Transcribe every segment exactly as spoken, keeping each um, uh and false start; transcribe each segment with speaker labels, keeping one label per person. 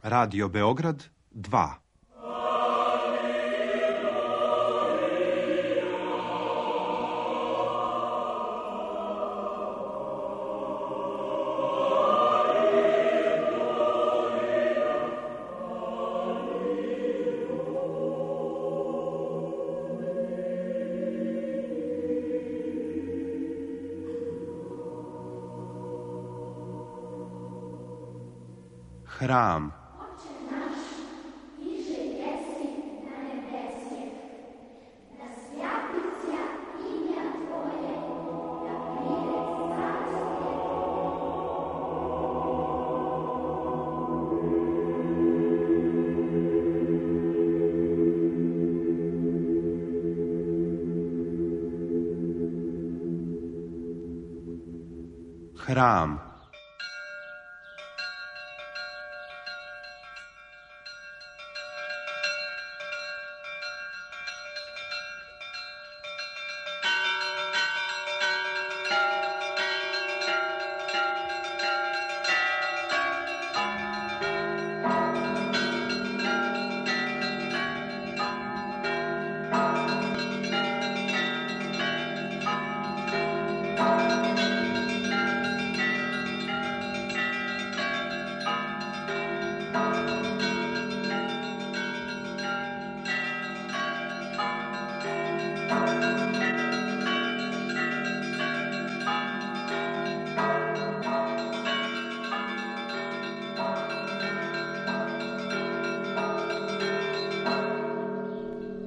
Speaker 1: Radio Beograd dva. Hram. Hram.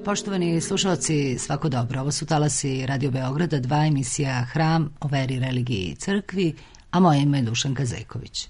Speaker 2: Poštovani slušalci, svako dobro. Ovo su talasi Radio Beograda dva, emisija Hram o veri, religiji i crkvi, a moje ime je Dušanka Zejković.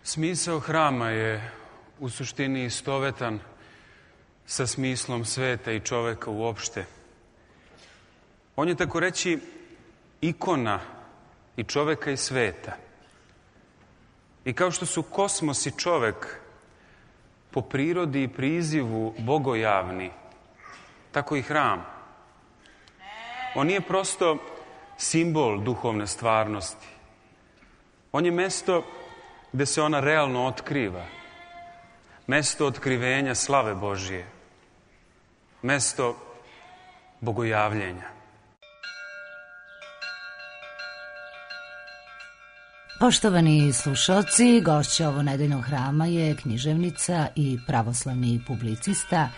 Speaker 3: Smisao hrama je u suštini istovetan sa smislom sveta i čoveka uopšte. On je, tako reći, ikona i čoveka i sveta. I kao što su kosmos i čovek po prirodi i prizivu bogojavni, tako i hram. On nije prosto simbol duhovne stvarnosti. On je mesto gde se ona realno otkriva. Mesto otkrivenja slave Božije. Mesto bogojavljenja.
Speaker 2: Poštovani slušalci, gošća ovo nedeljnog hrama je književnica i pravoslavni publicista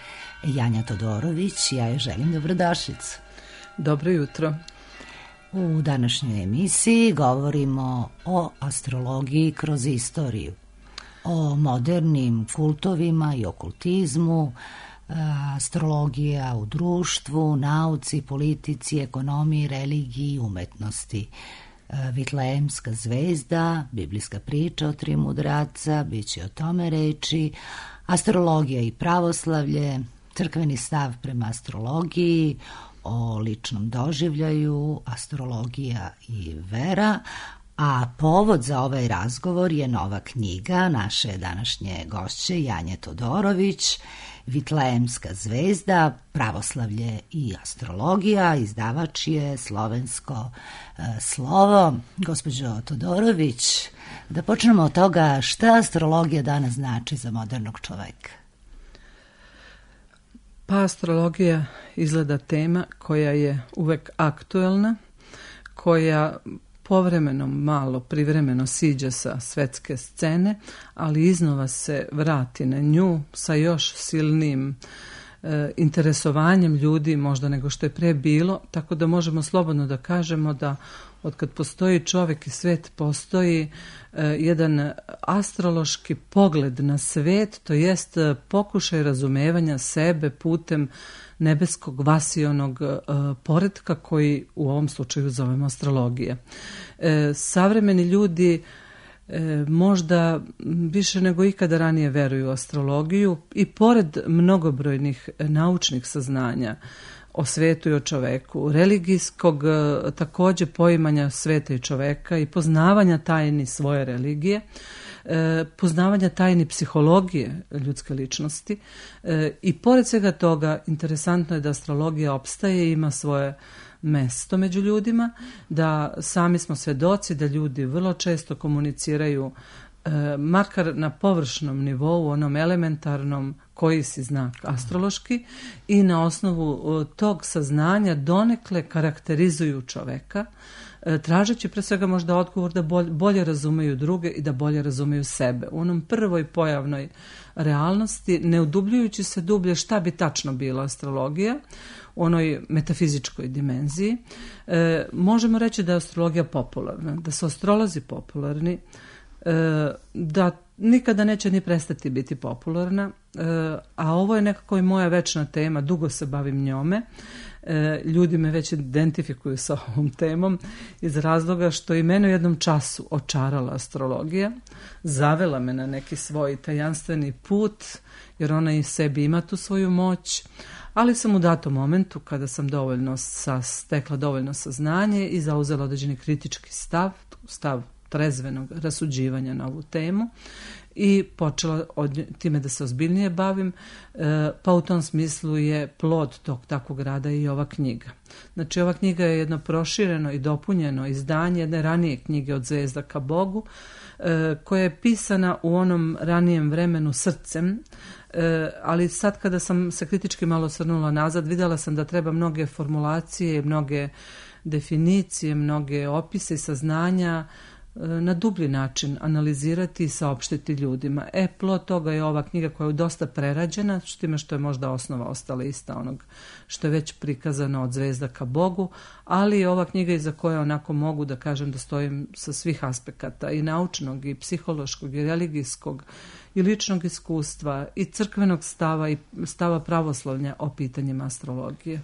Speaker 2: Janja Todorović. Ja joj želim dobrodošlicu.
Speaker 4: Dobro jutro.
Speaker 2: U današnjoj emisiji govorimo o astrologiji kroz istoriju, o modernim kultovima i okultizmu, astrologija u društvu, nauci, politici, ekonomiji, religiji i umetnosti. Vitlejemska zvezda, biblijska priča o tri mudraca, bit će o tome reči, astrologija i pravoslavlje, crkveni stav prema astrologiji, o ličnom doživljaju, astrologija i vera, a povod za ovaj razgovor je nova knjiga naše današnje gošće Janje Todorović, Vitlejemska zvezda, pravoslavlje i astrologija. Izdavač je Slovensko e, slovo. Gospođo Todorović, da počnemo od toga šta astrologija danas znači za modernog čoveka.
Speaker 4: Pa astrologija izgleda tema koja je uvek aktuelna, koja povremeno malo, privremeno siđe sa svetske scene, ali iznova se vrati na nju sa još silnim e, interesovanjem ljudi možda nego što je pre bilo, tako da možemo slobodno da kažemo da od kad postoji čovjek i svet postoji e, jedan astrološki pogled na svet, to jest pokušaj razumevanja sebe putem nebeskog vasionog e, poretka koji u ovom slučaju zovemo astrologija. E, savremeni ljudi e, možda više nego ikada ranije veruju u astrologiju i pored mnogobrojnih naučnih saznanja o svetu i o čoveku, religijskog takođe poimanja sveta i čoveka i poznavanja tajni svoje religije, poznavanja tajni psihologije ljudske ličnosti i pored svega toga interesantno je da astrologija opstaje i ima svoje mesto među ljudima, da sami smo svedoci da ljudi vrlo često komuniciraju makar na površnom nivou, onom elementarnom koji si znak astrološki i na osnovu tog saznanja donekle karakterizuju čoveka, tražeći pre svega možda odgovor da bolje, bolje razumeju druge i da bolje razumeju sebe. U onom prvoj pojavnoj realnosti, ne udubljujući se dublje šta bi tačno bila astrologija, u onoj metafizičkoj dimenziji, e, možemo reći da je astrologija popularna, da su astrolozi popularni, da nikada neće ni prestati biti popularna, a ovo je nekako i moja večna tema, dugo se bavim njome, ljudi me već identifikuju sa ovom temom iz razloga što i mene u jednom času očarala astrologija, zavela me na neki svoj tajanstveni put, jer ona i sebi ima tu svoju moć, ali sam u datom momentu, kada sam dovoljno sa, stekla dovoljno saznanje i zauzela određeni kritički stav, stav trezvenog rasuđivanja na ovu temu i počela od time da se ozbiljnije bavim, pa u tom smislu je plod tog takvog rada i ova knjiga. Znači, ova knjiga je jedno prošireno i dopunjeno izdanje jedne ranije knjige Od zvezda ka Bogu, koja je pisana u onom ranijem vremenu srcem, ali sad kada sam se kritički malo osvrnula nazad, vidjela sam da treba mnoge formulacije, mnoge definicije, mnoge opise i saznanja na dublji način analizirati i saopštiti ljudima. E, plod toga je ova knjiga koja je dosta prerađena, s time što je možda osnova ostala ista onog što je već prikazano Od zvezda ka Bogu, ali je ova knjiga iza koje onako mogu da kažem da stojim sa svih aspekata i naučnog i psihološkog i religijskog i ličnog iskustva i crkvenog stava i stava pravoslavlja o pitanjima astrologije.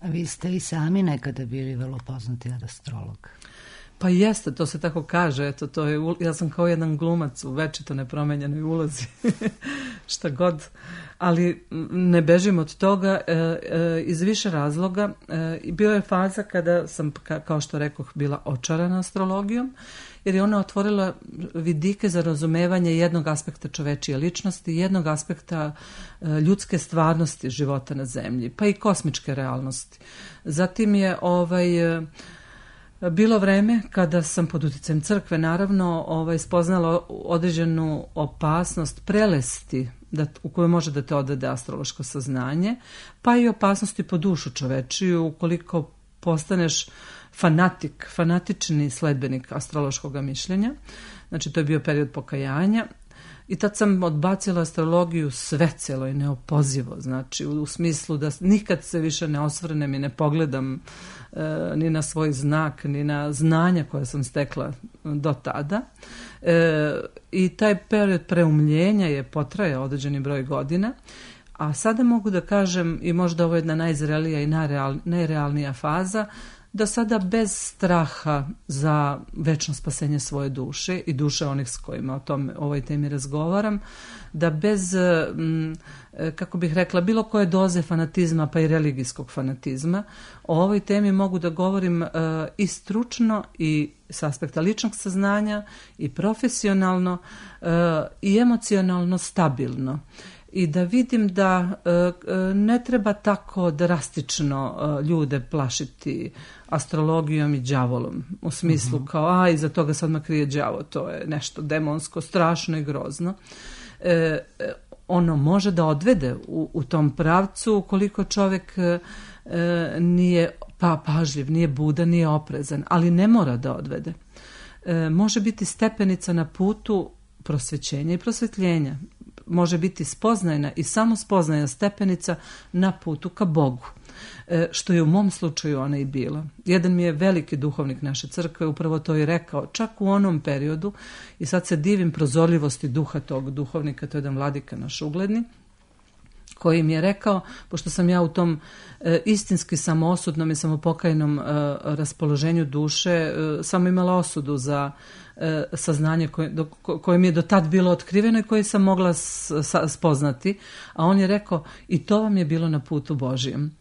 Speaker 2: A vi ste i sami nekada bili vrlo poznati astrolog.
Speaker 4: Pa jeste, to se tako kaže, eto, to je, ja sam kao jedan glumac u večito nepromenjenoj ulozi, šta god, ali ne bežim od toga e, e, iz više razloga. E, bio je faza kada sam, ka, kao što rekoh, bila očarana astrologijom, jer je ona otvorila vidike za razumevanje jednog aspekta čovečije ličnosti, jednog aspekta e, ljudske stvarnosti života na zemlji, pa i kosmičke realnosti. Zatim je ovaj... E, bilo vreme kada sam pod uticajem crkve naravno ovaj, spoznala određenu opasnost prelesti da, u kojoj može da te odvede astrološko saznanje, pa i opasnosti po dušu čovečiju ukoliko postaneš fanatik, fanatični sledbenik astrološkog mišljenja. Znači, to je bio period pokajanja. I tad sam odbacila astrologiju svecelo i neopozivo, znači u, u smislu da nikad se više ne osvrnem i ne pogledam e, ni na svoj znak, ni na znanja koja sam stekla do tada. E, I taj period preumljenja je potrajao određeni broj godina, a sada mogu da kažem, i možda ovo je jedna najzrelija i najreal, najrealnija faza, da sada bez straha za večno spasenje svoje duše i duše onih s kojima o tom, ovoj temi razgovaram, da bez, kako bih rekla, bilo koje doze fanatizma, pa i religijskog fanatizma, o ovoj temi mogu da govorim i stručno i s aspekta ličnog saznanja i profesionalno i emocionalno stabilno. I da vidim da e, ne treba tako drastično e, ljude plašiti astrologijom i đavolom. U smislu uh-huh. kao, a, iza toga sad me krije đavo, to je nešto demonsko, strašno i grozno. E, ono može da odvede u, u tom pravcu ukoliko čovjek e, nije pa, pažljiv, nije budan, nije oprezan, ali ne mora da odvede. E, može biti stepenica na putu prosvećenja i prosvetljenja. Može biti spoznajna i samo spoznajna stepenica na putu ka Bogu. E, što je u mom slučaju ona i bila. Jedan mi je veliki duhovnik naše crkve upravo to i rekao, čak u onom periodu, i sad se divim prozorljivosti duha tog duhovnika, to je jedan vladika naš ugledni, koji mi je rekao, pošto sam ja u tom e, istinski samoosudnom i samopokajnom e, raspoloženju duše e, samo imala osudu za e, saznanje koje, do, koje mi je do tad bilo otkriveno i koje sam mogla s, sa, spoznati, a on je rekao i to vam je bilo na putu Božijem.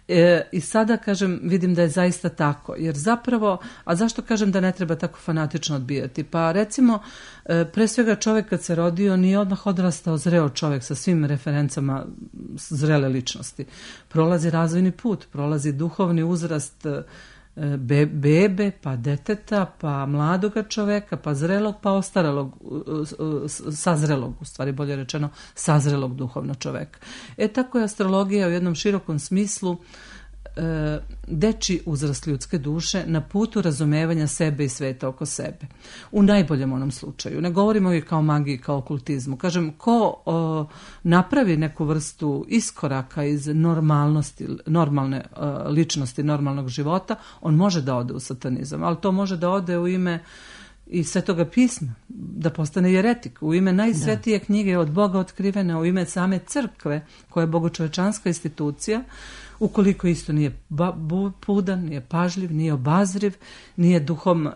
Speaker 4: E, I sada, kažem, vidim da je zaista tako, jer zapravo, a zašto kažem da ne treba tako fanatično odbijati? Pa recimo, e, pre svega čovjek kad se rodio nije odmah odrastao zreo čovjek sa svim referencama zrele ličnosti. Prolazi razvojni put, prolazi duhovni uzrast be, bebe, pa deteta, pa mladoga čoveka, pa zrelog, pa ostarelog, sazrelog, u stvari bolje rečeno, sazrelog duhovno čoveka. E tako je astrologija u jednom širokom smislu e, deči uzrast ljudske duše na putu razumevanja sebe i sveta oko sebe. U najboljem onom slučaju. Ne govorimo i kao magiji, kao okultizmu. Kažem, ko o, napravi neku vrstu iskoraka iz normalnosti, normalne o, ličnosti, normalnog života, on može da ode u satanizam, ali to može da ode u ime i Svetoga pisma, da postane jeretik, u ime najsvetije da. knjige od Boga otkrivene, u ime same crkve, koja je bogočovečanska institucija, ukoliko isto nije pudan, nije pažljiv, nije obazriv, nije duhom uh,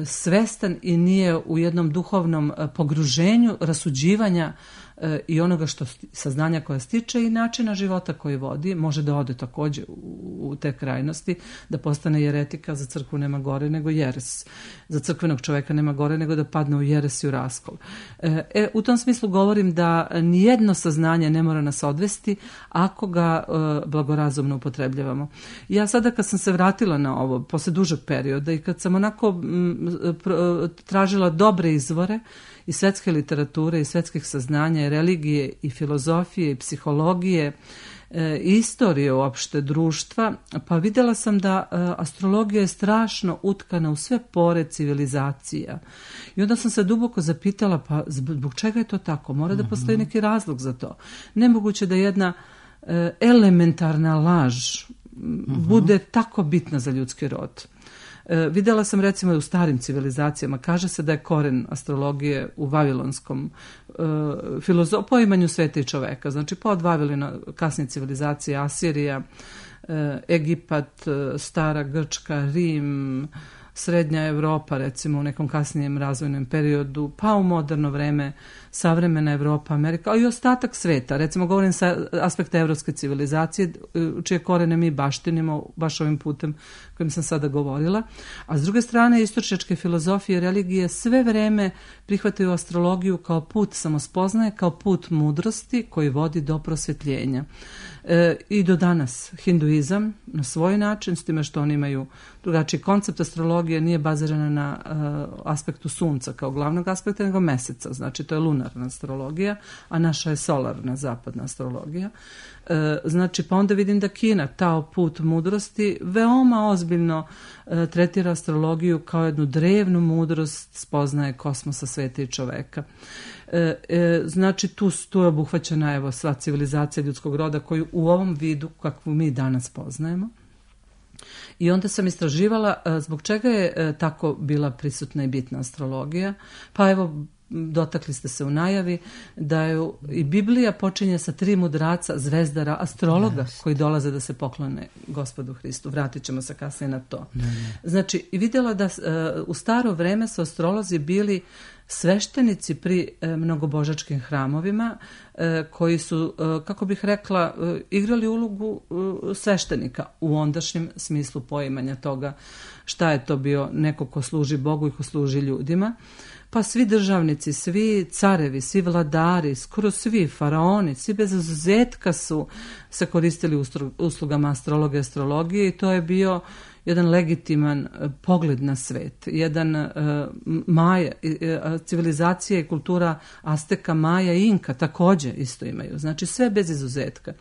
Speaker 4: svestan i nije u jednom duhovnom uh, pogruženju rasuđivanja uh, i onoga što saznanja koja stiče i načina života koji vodi, može da ode također u, u te krajnosti, da postane jeretika. Za crkvu nema gore nego jeres. Za crkvenog čovjeka nema gore nego da padne u jeres i u raskol. E, u tom smislu govorim da nijedno saznanje ne mora nas odvesti ako ga uh, blagorazumno upotrebljavamo. Ja sada kad sam se vratila na ovo, posle dužeg perioda i kad sam onako m, pr, tražila dobre izvore i svetske literature i svetskih saznanja i religije i filozofije i psihologije e, i istorije uopšte društva, pa vidjela sam da e, astrologija je strašno utkana u sve pore civilizacija. I onda sam se duboko zapitala, pa zbog čega je to tako? Mora da postoji neki razlog za to. Nemoguće da jedna elementarna laž uh-huh. bude tako bitna za ljudski rod. E, vidjela sam recimo u starim civilizacijama, kaže se da je koren astrologije u vavilonskom e, filozo- poimanju sveta i čoveka, znači pa od Vavilona, kasnije civilizacije, Asirija, e, Egipat, stara Grčka, Rim, Srednja Evropa, recimo u nekom kasnijem razvojnom periodu, pa u moderno vreme savremena Evropa, Amerika, a i ostatak sveta. Recimo govorim sa aspekta evropske civilizacije, čije korene mi baštinimo baš ovim putem kojim sam sada govorila. A s druge strane, istočnjačke filozofije i religije sve vreme prihvataju astrologiju kao put samospoznaje, kao put mudrosti koji vodi do prosvjetljenja. E, I do danas hinduizam na svoj način, s time što oni imaju drugačiji koncept astrologije, nije bazirana na uh, aspektu sunca kao glavnog aspekta, nego meseca. Znači to je lunarna astrologija, a naša je solarna zapadna astrologija. E, znači pa onda vidim da Kina, tao put mudrosti, veoma ozbiljno e, tretira astrologiju kao jednu drevnu mudrost spoznaje kosmosa, sveta i čoveka. E, e, znači tu, tu je obuhvaćena evo sva civilizacija ljudskog roda koju u ovom vidu kakvu mi danas poznajemo. I onda sam istraživala e, zbog čega je e, tako bila prisutna i bitna astrologija. Pa evo, dotakli ste se u najavi da je i Biblija počinje sa tri mudraca, zvezdara, astrologa yes. koji dolaze da se poklone Gospodu Hristu. Vratit ćemo se kasnije na to. Ne, ne. Znači, vidjela da uh, u staro vreme su astrolozi bili sveštenici pri e, mnogobožačkim hramovima e, koji su, e, kako bih rekla, e, igrali ulogu e, sveštenika u ondašnjem smislu poimanja toga šta je to bio neko ko služi Bogu i ko služi ljudima. Pa svi državnici, svi carevi, svi vladari, skoro svi faraoni, svi bez izuzetka su se koristili uslugama astrologe i astrologije i to je bio jedan legitiman pogled na svet, jedan uh, Maja, uh, civilizacija i kultura Azteka, Maja i Inka također isto imaju, znači sve bez izuzetka.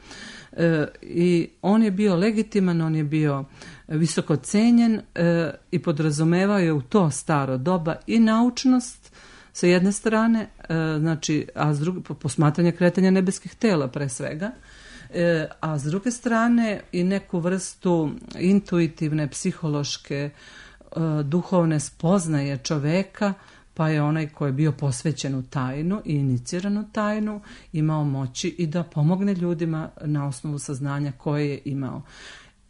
Speaker 4: Uh, I on je bio legitiman, on je bio visoko cenjen uh, i podrazumevao je u to staro doba i naučnost sa jedne strane, uh, znači, a s druge, posmatranje kretanja nebeskih tela pre svega, E, a s druge strane i neku vrstu intuitivne, psihološke, e, duhovne spoznaje čoveka, pa je onaj koji je bio posvećen u tajnu i iniciran u tajnu imao moći i da pomogne ljudima na osnovu saznanja koje je imao.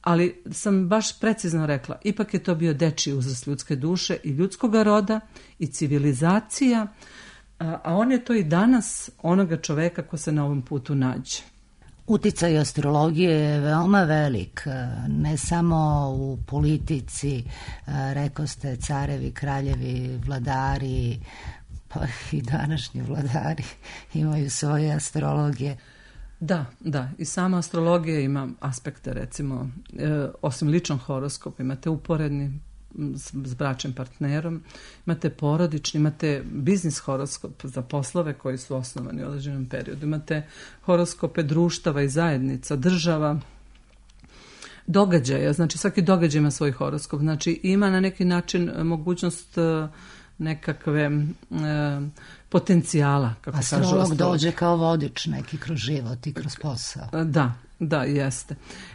Speaker 4: Ali sam baš precizno rekla, ipak je to bio dečiji uzrast ljudske duše i ljudskoga roda i civilizacija, a, a on je to i danas onoga čoveka ko se na ovom putu nađe.
Speaker 2: Uticaj astrologije je veoma velik, ne samo u politici, rekao ste carevi, kraljevi, vladari, pa i današnji vladari imaju svoje astrologije.
Speaker 4: Da, da, i sama astrologija ima aspekte, recimo, e, osim ličnog horoskopa, imate uporedni s, s bračnim partnerom, imate porodični, imate biznis horoskop za poslove koji su osnovani u određenom periodu, imate horoskope društava i zajednica, država, događaja, znači svaki događaj ima svoj horoskop, znači ima na neki način mogućnost nekakve e, potencijala, kako kažu astrolog.
Speaker 2: Astrolog dođe kao vodič neki kroz život i kroz posao.
Speaker 4: Da, da, jeste.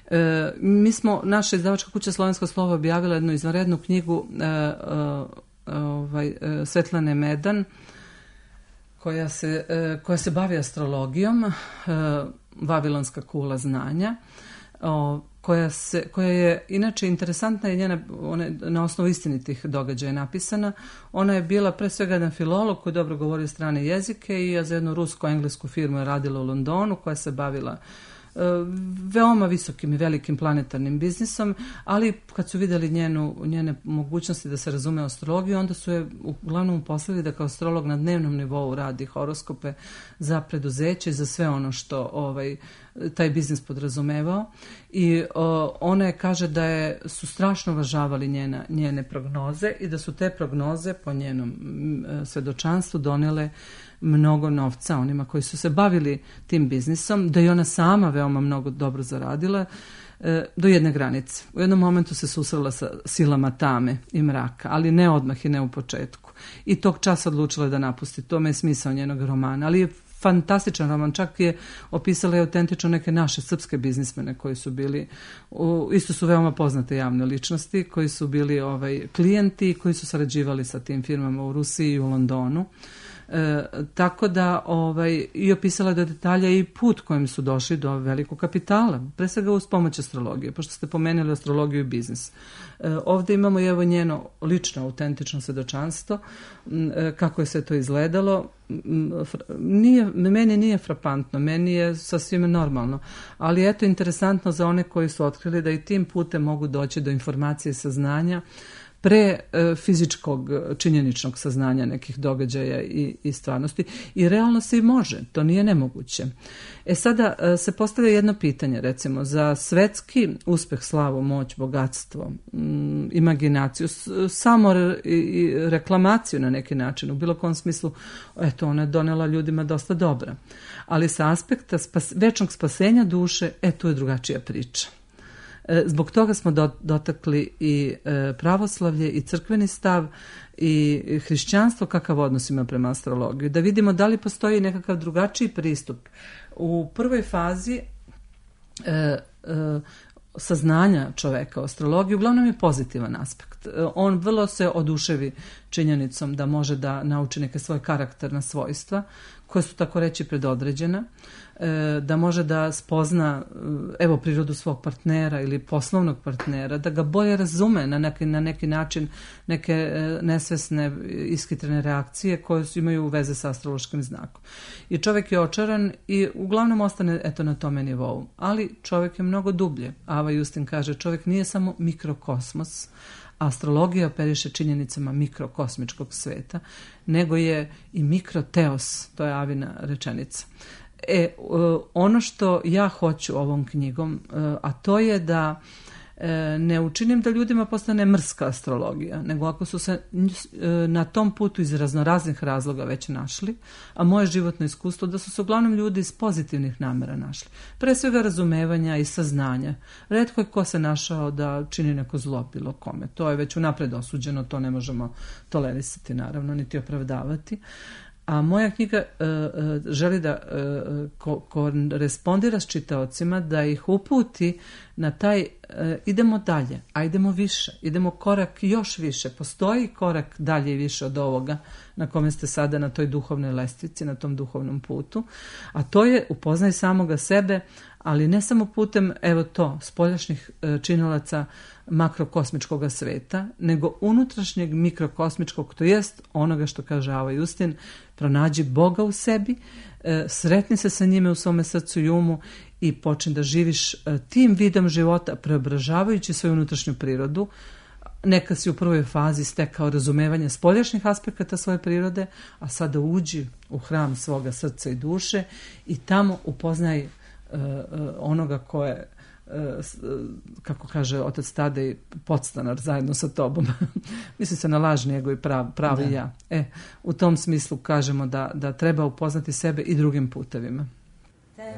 Speaker 4: E, mi smo, naša izdavačka kuća Slovensko slovo objavila jednu izvanrednu knjigu e, e, ovaj, e, Svetlane Medan, koja se, e, koja se bavi astrologijom, e, Vavilonska kula znanja, o, koja, se, koja je inače interesantna i njena, ona je na osnovu istinitih događaja napisana. Ona je bila pre svega jedan filolog koji dobro govorio strane jezike i za jednu rusko-englesku firmu je radila u Londonu koja se bavila veoma visokim i velikim planetarnim biznisom, ali kad su vidjeli njenu, njene mogućnosti da se razume astrologiju, onda su je uglavnom uposlili da kao astrolog na dnevnom nivou radi horoskope za preduzeće i za sve ono što ovaj, taj biznis podrazumevao. I o, ona je kaže da je, su strašno uvažavali njena, njene prognoze i da su te prognoze po njenom svedočanstvu donele mnogo novca onima koji su se bavili tim biznisom, da je ona sama veoma mnogo dobro zaradila e, do jedne granice. U jednom momentu se susrela sa silama tame i mraka, ali ne odmah i ne u početku. I tog časa odlučila da napusti. To me je smisao njenog romana, ali je fantastičan roman, čak je opisala je autentično neke naše srpske biznismene koji su bili, u, isto su veoma poznate javne ličnosti, koji su bili ovaj, klijenti, koji su sarađivali sa tim firmama u Rusiji i u Londonu. E, tako da ovaj, i opisala do detalja i put kojim su došli do velikog kapitala, pre svega uz pomoć astrologije, pošto ste pomenuli astrologiju i biznis. E, ovdje imamo i evo njeno lično autentično svedočanstvo, e, kako je sve to izgledalo. Nije, meni nije frapantno, meni je sasvim normalno, ali eto interesantno za one koji su otkrili da i tim putem mogu doći do informacije i saznanja pre e, fizičkog činjeničnog saznanja nekih događaja i, i stvarnosti. I realno se i može, to nije nemoguće. E sada e, se postavlja jedno pitanje, recimo, za svetski uspeh, slavu, moć, bogatstvo, m, imaginaciju, s, samo re, i reklamaciju na neki način, u bilo kom smislu, eto, ona je donela ljudima dosta dobra. Ali sa aspekta spas, večnog spasenja duše, e, tu je drugačija priča. Zbog toga smo dotakli i pravoslavlje i crkveni stav i hrišćanstvo, kakav odnos ima prema astrologiji. Da vidimo da li postoji nekakav drugačiji pristup. U prvoj fazi e, e, saznanja čoveka o astrologiji uglavnom je pozitivan aspekt. On vrlo se oduševi činjenicom da može da nauči neke svoje karakterna svojstva koje su tako reći predodređena, da može da spozna evo prirodu svog partnera ili poslovnog partnera, da ga bolje razume na neki, na neki način neke nesvesne iskitrene reakcije koje imaju veze sa astrološkim znakom. I čovjek je očaran i uglavnom ostane eto na tome nivou. Ali čovjek je mnogo dublje. Ava Justin kaže, čovjek nije samo mikrokosmos, astrologija operiše činjenicama mikrokosmičkog sveta, nego je i mikroteos, to je Avina rečenica. E, ono što ja hoću ovom knjigom, a to je da ne učinim da ljudima postane mrska astrologija, nego ako su se na tom putu iz raznoraznih razloga već našli, a moje životno iskustvo da su se uglavnom ljudi iz pozitivnih namera našli. Pre svega razumevanja i saznanja. Retko je ko se našao da čini neko zlo bilo kome. To je već unapred osuđeno, to ne možemo tolerisati naravno, niti opravdavati. A moja knjiga uh, uh, želi da uh, ko, korespondira s čitaocima, da ih uputi na taj, uh, idemo dalje, a idemo više, idemo korak još više. Postoji korak dalje i više od ovoga na kome ste sada na toj duhovnoj lestvici, na tom duhovnom putu. A to je upoznaj samoga sebe, ali ne samo putem, evo to, spoljašnjih uh, činilaca makrokosmičkog sveta, nego unutrašnjeg mikrokosmičkog, to jest onoga što kaže Ava Justin, pronađi Boga u sebi, sretni se sa njime u svome srcu i umu i počni da živiš tim vidom života, preobražavajući svoju unutrašnju prirodu. Neka si u prvoj fazi stekao razumevanje spoljašnjih aspekata svoje prirode, a sada uđi u hram svoga srca i duše i tamo upoznaj onoga ko je, kako kaže otac Tadej, podstanar zajedno sa tobom. Misli se na lažni ego i prav, pravi da. Ja. E, u tom smislu kažemo da, da treba upoznati sebe i drugim putevima.
Speaker 5: Te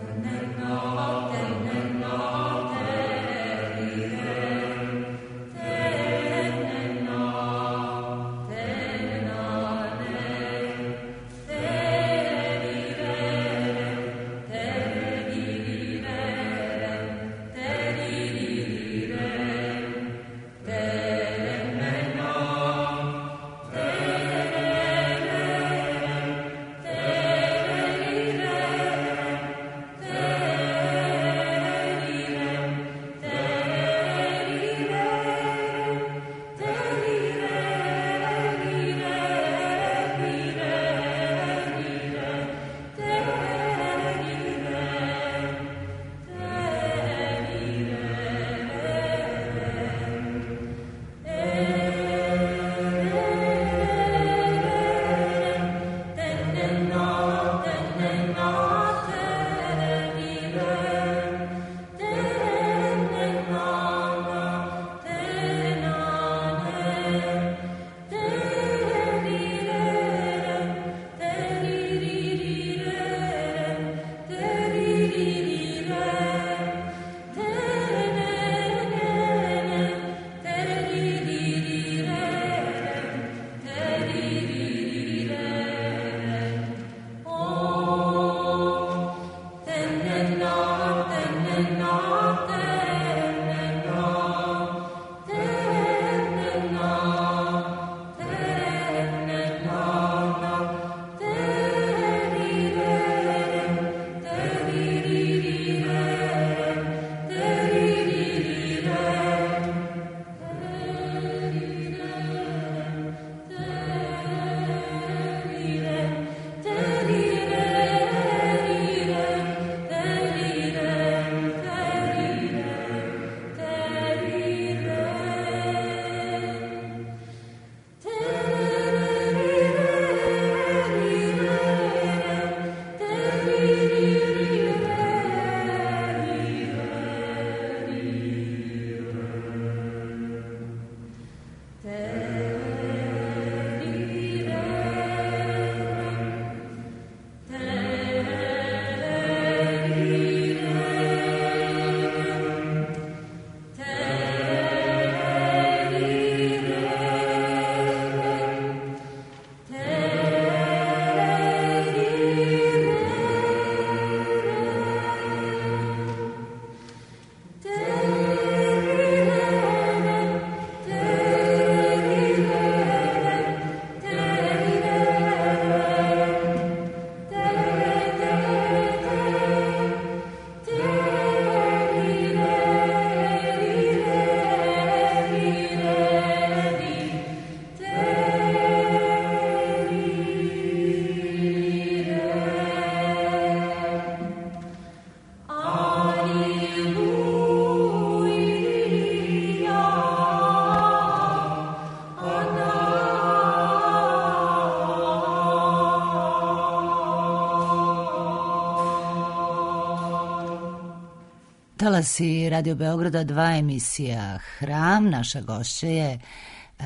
Speaker 2: Čitala si Radio Beograda dva emisija Hram. Naša gošća je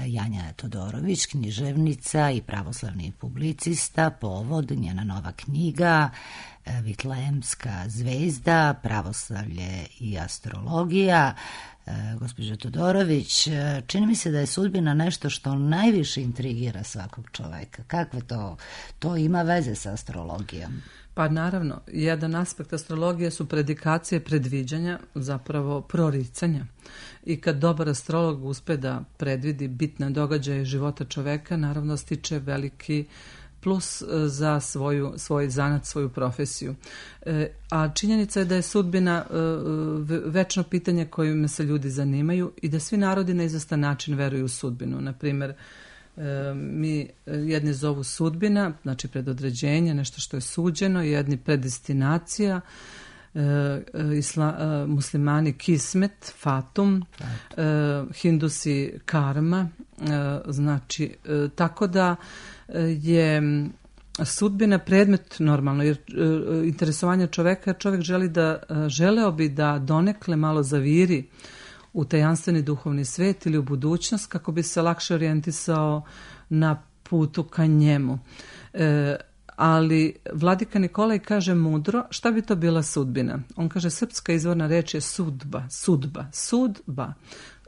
Speaker 2: Janja Todorović, književnica i pravoslavni publicista. Povod njena nova knjiga Vitlejemska zvezda, pravoslavlje i astrologija. Gospođo Todorović, čini mi se da je sudbina nešto što najviše intrigira svakog čoveka. Kakve to, to ima veze sa astrologijom?
Speaker 4: Pa naravno, jedan aspekt astrologije su predikacije predviđanja, zapravo proricanja. I kad dobar astrolog uspe da predvidi bitne događaje života čoveka, naravno stiče veliki plus za svoju, svoj zanat, svoju profesiju. E, a činjenica je da je sudbina e, večno pitanje kojim se ljudi zanimaju i da svi narodi na izvestan način veruju u sudbinu. Naprimjer, e, mi jedni zovu sudbina, znači predodređenje, nešto što je suđeno, jedni predestinacija, e, isla, e, muslimani kismet, fatum, e, hindusi karma, e, znači e, tako da je sudbina predmet normalno, jer interesovanje čoveka, čovek želi da, želeo bi da donekle malo zaviri u tajanstveni duhovni svet ili u budućnost kako bi se lakše orijentisao na putu ka njemu. E, ali Vladika Nikolaj kaže mudro, šta bi to bila sudbina? On kaže, srpska izvorna reč je sudba, sudba, sudba,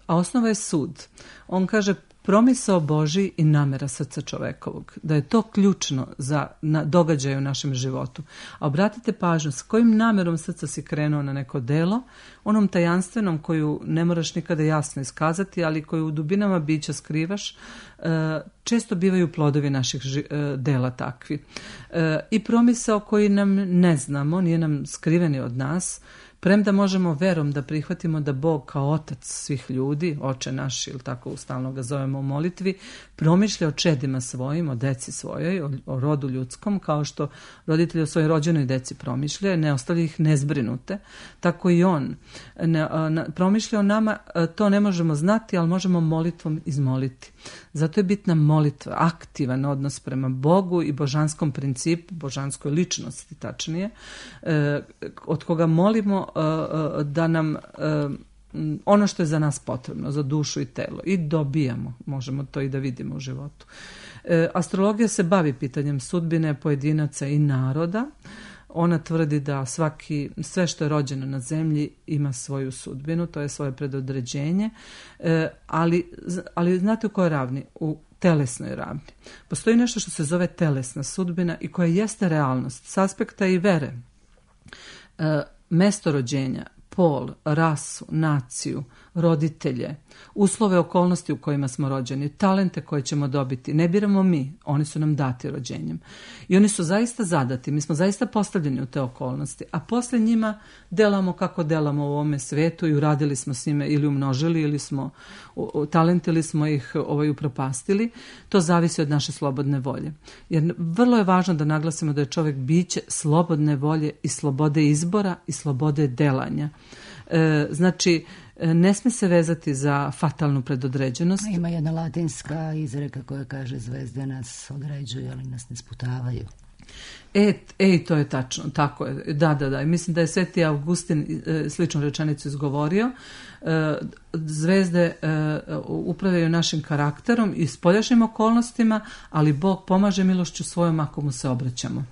Speaker 4: a osnova je sud. On kaže, promisao Božji i namera srca čovekovog, da je to ključno za na, događaje u našem životu. A obratite pažnju, s kojim namerom srca si krenuo na neko delo, onom tajanstvenom koju ne moraš nikada jasno iskazati, ali koju u dubinama bića skrivaš, često bivaju plodovi naših dela takvi. I promisao koji nam ne znamo, nije nam skriveni od nas, premda možemo verom da prihvatimo da Bog kao otac svih ljudi, oče naš, ili tako stalno ga zovemo u molitvi, promišlja o čedima svojim, o deci svojoj, o, o rodu ljudskom, kao što roditelji o svojoj rođenoj deci promišlja, ne ostavlja ih nezbrinute, tako i on ne, ne, promišlja o nama, to ne možemo znati, ali možemo molitvom izmoliti. Zato je bitna molitva, aktivan odnos prema Bogu i božanskom principu, božanskoj ličnosti tačnije, eh, od koga molimo eh, da nam eh, ono što je za nas potrebno, za dušu i telo, i dobijamo, možemo to i da vidimo u životu. Eh, astrologija se bavi pitanjem sudbine pojedinaca i naroda. Ona tvrdi da svaki, sve što je rođeno na zemlji ima svoju sudbinu, to je svoje predodređenje, e, ali, ali znate u kojoj ravni? U telesnoj ravni. Postoji nešto što se zove telesna sudbina i koja jeste realnost s aspekta i vere. E, mesto rođenja, pol, rasu, naciju, roditelje, uslove, okolnosti u kojima smo rođeni, talente koje ćemo dobiti. Ne biramo mi, oni su nam dati rođenjem. I oni su zaista zadati, mi smo zaista postavljeni u te okolnosti, a posle njima delamo kako delamo u ovome svetu i uradili smo s njime ili umnožili ili smo talentili smo ih ovaj, upropastili. To zavisi od naše slobodne volje. Jer vrlo je važno da naglasimo da je čovjek biće slobodne volje i slobode izbora i slobode delanja. E, znači, ne sme se vezati za fatalnu predodređenost.
Speaker 2: Ima jedna latinska izreka koja kaže zvezde nas određuju, ali nas ne sputavaju.
Speaker 4: E, e, to je tačno, tako je. Da, da, da. Mislim da je Sveti Augustin e, sličnu rečenicu izgovorio. E, zvezde e, upravljaju našim karakterom i spoljašnjim okolnostima, ali Bog pomaže milošću svojom ako mu se obraćamo.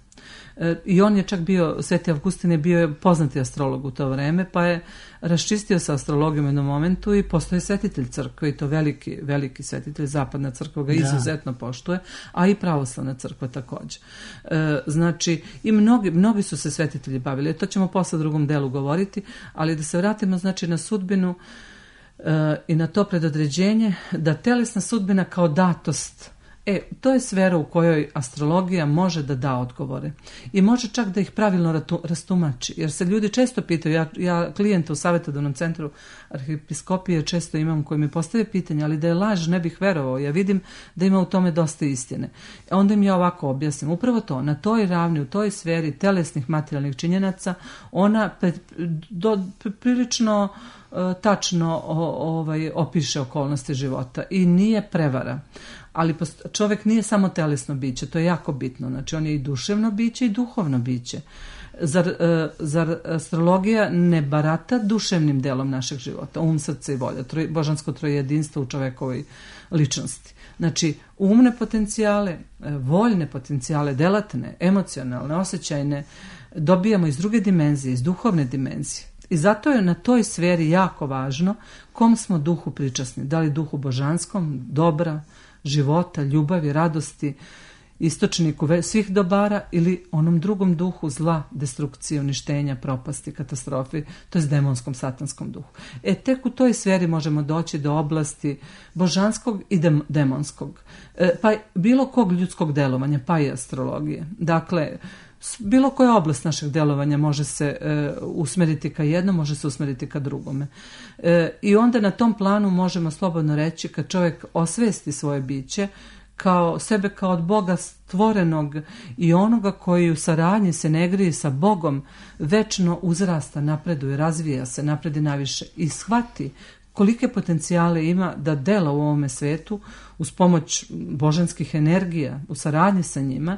Speaker 4: I on je čak bio, Sveti Avgustin je bio poznati astrolog u to vreme, pa je raščistio sa astrologijom u jednom momentu i postao je svetitelj crkve, i to veliki, veliki svetitelj. Zapadna crkva ga izuzetno poštuje, a i pravoslavna crkva također. E, znači, i mnogi, mnogi su se svetitelji bavili, to ćemo posle u drugom delu govoriti, ali da se vratimo znači na sudbinu e, i na to predodređenje, da telesna sudbina kao datost. E, to je sfera u kojoj astrologija može da da odgovore i može čak da ih pravilno rastumači, jer se ljudi često pitaju, ja, ja klijenta u savjetodavnom centru arhipiskopije često imam koji mi postave pitanje, ali da je laž ne bih verovao, ja vidim da ima u tome dosta istine. Onda im ja ovako objasnim, upravo to, na toj ravni, u toj sferi telesnih materijalnih činjenaca, ona pre, do, prilično uh, tačno o, ovaj, opiše okolnosti života i nije prevara. Ali čovjek nije samo telesno biće, to je jako bitno. Znači, on je i duševno biće i duhovno biće. Zar, zar astrologija ne barata duševnim delom našeg života, um, srce i volja, troj, božansko trojedinstvo u čovekovoj ličnosti? Znači, umne potencijale, voljne potencijale, delatne, emocionalne, osjećajne, dobijamo iz druge dimenzije, iz duhovne dimenzije. I zato je na toj sferi jako važno kom smo duhu pričasni. Da li duhu božanskom, dobra, života, ljubavi, radosti, istočniku svih dobara, ili onom drugom duhu zla, destrukcije, uništenja, propasti, katastrofi, to je demonskom, satanskom duhu. E, tek u toj sferi možemo doći do oblasti božanskog i dem- demonskog, e, pa bilo kog ljudskog delovanja, pa i astrologije. Dakle, bilo koja oblast našeg delovanja može se e, usmeriti ka jednom, može se usmeriti ka drugome. E, I onda na tom planu možemo slobodno reći, kad čovjek osvesti svoje biće, kao sebe kao od Boga stvorenog i onoga koji u saradnji se ne grije sa Bogom, večno uzrasta, napreduje, razvija se, napredi naviše i shvati kolike potencijale ima da dela u ovome svetu uz pomoć božanskih energija, u saradnji sa njima,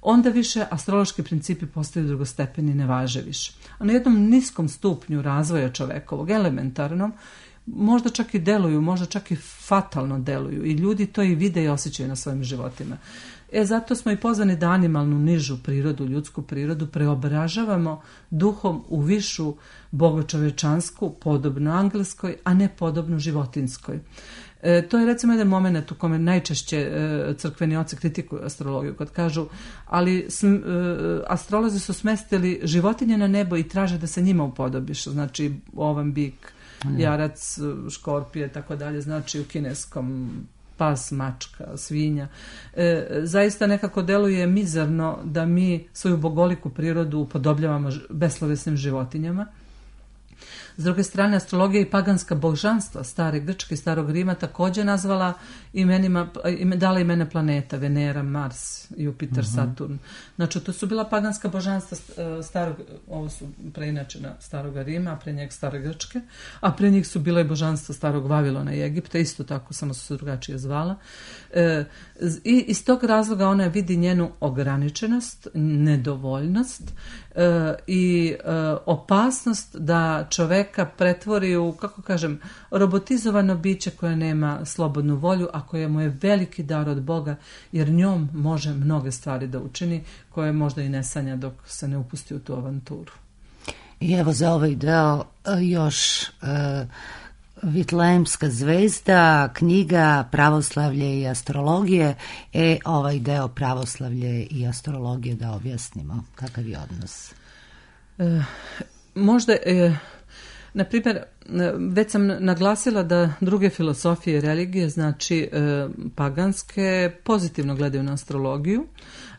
Speaker 4: onda više astrološki principi postaju drugostepeni, ne važe više. A na jednom niskom stupnju razvoja čovekovog, elementarnom, možda čak i deluju, možda čak i fatalno deluju i ljudi to i vide i osjećaju na svojim životima. E, zato smo i pozvani da animalnu, nižu prirodu, ljudsku prirodu preobražavamo duhom u višu bogočovečansku, podobnu angelskoj, a ne podobnu životinskoj. E, to je recimo jedan moment u kome najčešće e, crkveni oci kritikuju astrologiju, kad kažu, ali sm, e, astrolozi su smestili životinje na nebo i traže da se njima upodobiš, znači ovan bik, jarac, škorpije, tako dalje, znači u kineskom pas, mačka, svinja. E, zaista nekako deluje mizerno da mi svoju bogoliku prirodu upodobljavamo beslovesnim životinjama. S druge strane, astrologija i paganska božanstva stare Grčke i starog Rima također nazvala imenima, dala imene planeta, Venera, Mars, Jupiter, uh-huh. Saturn. Znači, to su bila paganska božanstva starog, ovo su preinačena starog Rima, a pre njeg stare Grčke, a pre njih su bila i božanstva starog Vavilona i Egipta, isto tako, samo su se drugačije zvala. E, I iz tog razloga ona vidi njenu ograničenost, nedovoljnost e, i e, opasnost da čoveka pretvori u, kako kažem, robotizovano biće koje nema slobodnu volju, a koje mu je veliki dar od Boga, jer njom može mnoge stvari da učini, koje možda i ne sanja dok se ne upusti u tu avanturu.
Speaker 2: I evo za ovaj deo još uh, Vitlejemska zvezda, knjiga Pravoslavlje i astrologije. E, ovaj deo Pravoslavlje i astrologije da objasnimo. Kakav je odnos?
Speaker 4: E, možda... E, Na primjer, već sam naglasila da druge filosofije i religije, znači e, paganske, pozitivno gledaju na astrologiju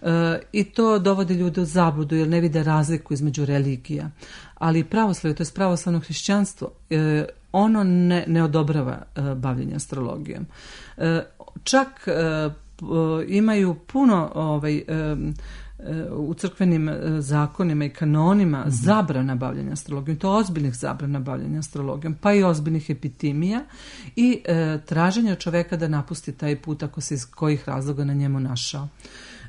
Speaker 4: e, i to dovodi ljude u zabludu jer ne vide razliku između religija. Ali pravoslavlje, to je pravoslavno hrišćanstvo, e, ono ne, ne odobrava e, bavljenje astrologijom. E, čak e, imaju puno ovaj, e, u crkvenim zakonima i kanonima mm-hmm. zabrana bavljanja astrologijom, to ozbiljnih zabrana bavljanja astrologijom, pa i ozbiljnih epitimija i e, traženja čoveka da napusti taj put ako se iz kojih razloga na njemu našao.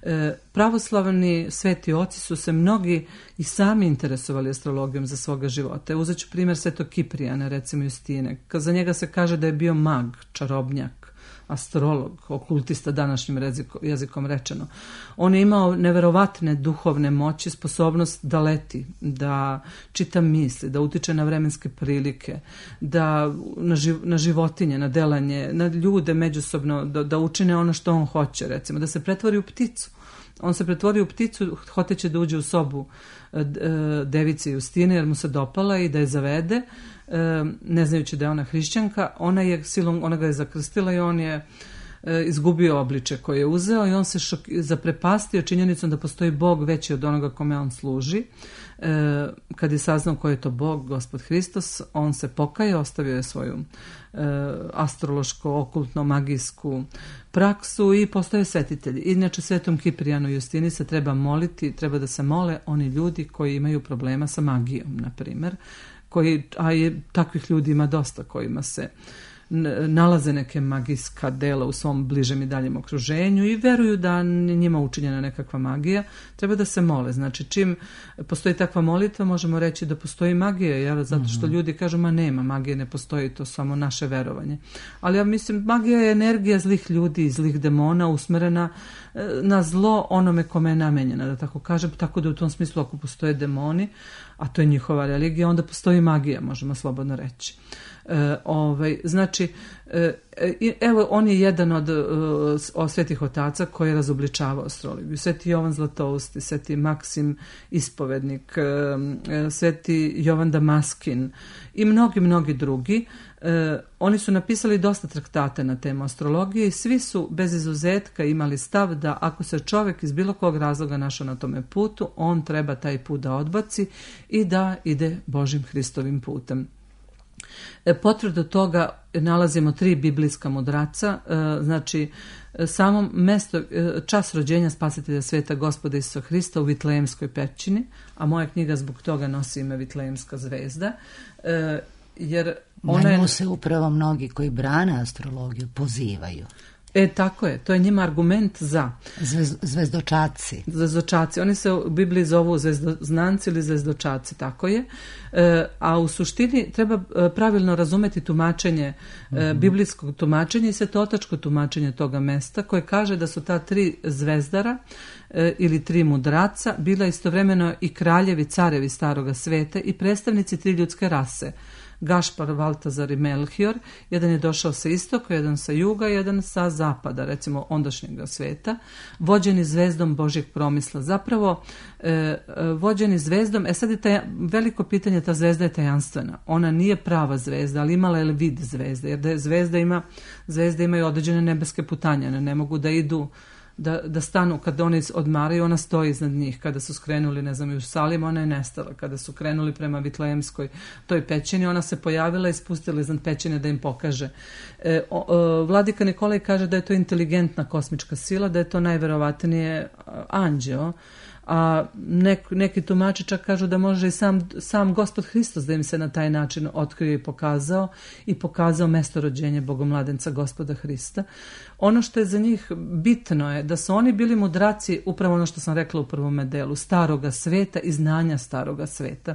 Speaker 4: E, pravoslavni sveti oci su se mnogi i sami interesovali astrologijom za svoga života. Uzet ću primjer svetog Kiprijana, recimo Justine. Za njega se kaže da je bio mag, čarobnjak, astrolog, okultista današnjim jezikom rečeno. On je imao neverovatne duhovne moći, sposobnost da leti, da čita misli, da utiče na vremenske prilike, da na, živ, na životinje, na delanje, na ljude međusobno, da, da učine ono što on hoće, recimo, da se pretvori u pticu. On se pretvori u pticu, hoteće da uđe u sobu device Justine jer mu se dopala i da je zavede, ne znajući da je ona hrišćanka. Ona je silom, ona ga je zakrstila i on je izgubio obliče koje je uzeo i on se šok, zaprepastio činjenicom da postoji Bog veći od onoga kome on služi. E, kad je saznao ko je to Bog, Gospod Hristos, on se pokajao, ostavio je svoju e, astrološko, okultno, magijsku praksu i postao je svetitelj. Inače, svetom Kiprijanu i Justini se treba moliti, treba da se mole oni ljudi koji imaju problema sa magijom, na primjer, koji, a je, takvih ljudi ima dosta kojima se nalaze neke magijska dela u svom bližem i daljem okruženju i veruju da njima učinjena nekakva magija, treba da se mole. Znači, čim postoji takva molitva, možemo reći da postoji magija, jer zato što ljudi kažu, ma nema, magije ne postoji, to samo naše verovanje. Ali ja mislim, magija je energija zlih ljudi i zlih demona usmerena na zlo onome kome je namenjena, da tako kažem, tako da u tom smislu ako postoje demoni, a to je njihova religija, onda postoji magija, možemo slobodno reći. E, ovaj, znači, e, evo, on je jedan od, od svetih otaca koji je razobličavao astrologiju. Sveti Jovan Zlatousti, sveti Maksim Ispovednik, e, sveti Jovan Damaskin i mnogi, mnogi drugi. E, oni su napisali dosta traktata na temu astrologije i svi su bez izuzetka imali stav da ako se čovjek iz bilo kog razloga našao na tome putu, on treba taj put da odbaci i da ide Božim Hristovim putem. E, potvrdu toga nalazimo tri biblijska mudraca, e, znači samo mesto, e, čas rođenja spasitelja sveta Gospoda Isusa Hrista u Vitlejemskoj pećini, a moja knjiga zbog toga nosi ime Vitlejemska zvezda, e, jer ona
Speaker 2: na nju
Speaker 4: je...
Speaker 2: se upravo mnogi koji brane astrologiju pozivaju.
Speaker 4: E, tako je, to je njima argument za.
Speaker 2: Zvez, zvezdočaci.
Speaker 4: Zvezdočaci, oni se u Bibliji zovu zvezdoznanci ili zvezdočaci, tako je. E, a u suštini treba pravilno razumeti tumačenje, mm-hmm. e, biblijskog tumačenja i svetotačko tumačenje toga mesta, koje kaže da su ta tri zvezdara e, ili tri mudraca bila istovremeno i kraljevi, carevi staroga sveta i predstavnici tri ljudske rase. Gašpar, Valtazar i Melchior, jedan je došao sa istoka, jedan sa juga, jedan sa zapada, recimo ondašnjeg sveta, vođeni zvezdom Božjeg promisla. Zapravo, e, vođeni zvezdom, e sad je taj, veliko pitanje, ta zvezda je tajanstvena. Ona nije prava zvezda, ali imala je vid zvezde, jer da je zvezda ima, zvezde imaju određene nebeske putanjane, ne mogu da idu Da, da stanu, kada oni odmaraju, ona stoji iznad njih. Kada su skrenuli, ne znam, u Salim, ona je nestala. Kada su krenuli prema Vitlejemskoj toj pećini, ona se pojavila i spustila iznad pećine da im pokaže. E, o, o, Vladika Nikolaj kaže da je to inteligentna kosmička sila, da je to najverovatnije anđeo, a nek, neki tumači čak kažu da može i sam, sam Gospod Hristos da im se na taj način otkrio i pokazao i pokazao mesto rođenja Bogomladenca Gospoda Hrista. Ono što je za njih bitno je da su oni bili mudraci, upravo ono što sam rekla u prvome delu, staroga sveta i znanja staroga sveta.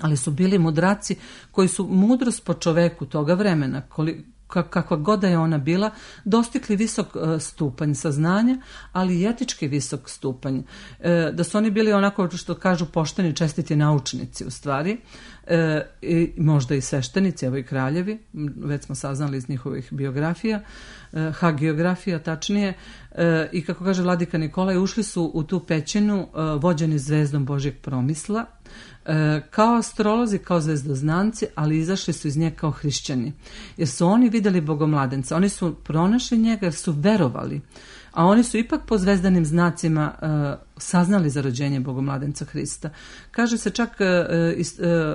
Speaker 4: Ali su bili mudraci koji su mudrost po čoveku toga vremena, koliko kakva god da je ona bila, dostigli visok stupanj saznanja, ali i etički visok stupanj. E, da su oni bili onako što kažu pošteni, čestiti naučnici u stvari, e, i možda i sveštenici, evo i kraljevi, već smo saznali iz njihovih biografija, e, hagiografija tačnije, e, i kako kaže Vladika Nikolaj, ušli su u tu pećinu e, vođeni zvezdom Božjeg promisla, E, kao astrolozi, kao zvezdoznanci, ali izašli su iz nje kao hrišćani. Jer su oni vidjeli Bogomladenca, oni su pronašli njega jer su verovali, a oni su ipak po zvezdanim znacima e, saznali za rođenje Bogomladenca Hrista. Kaže se čak, e, e,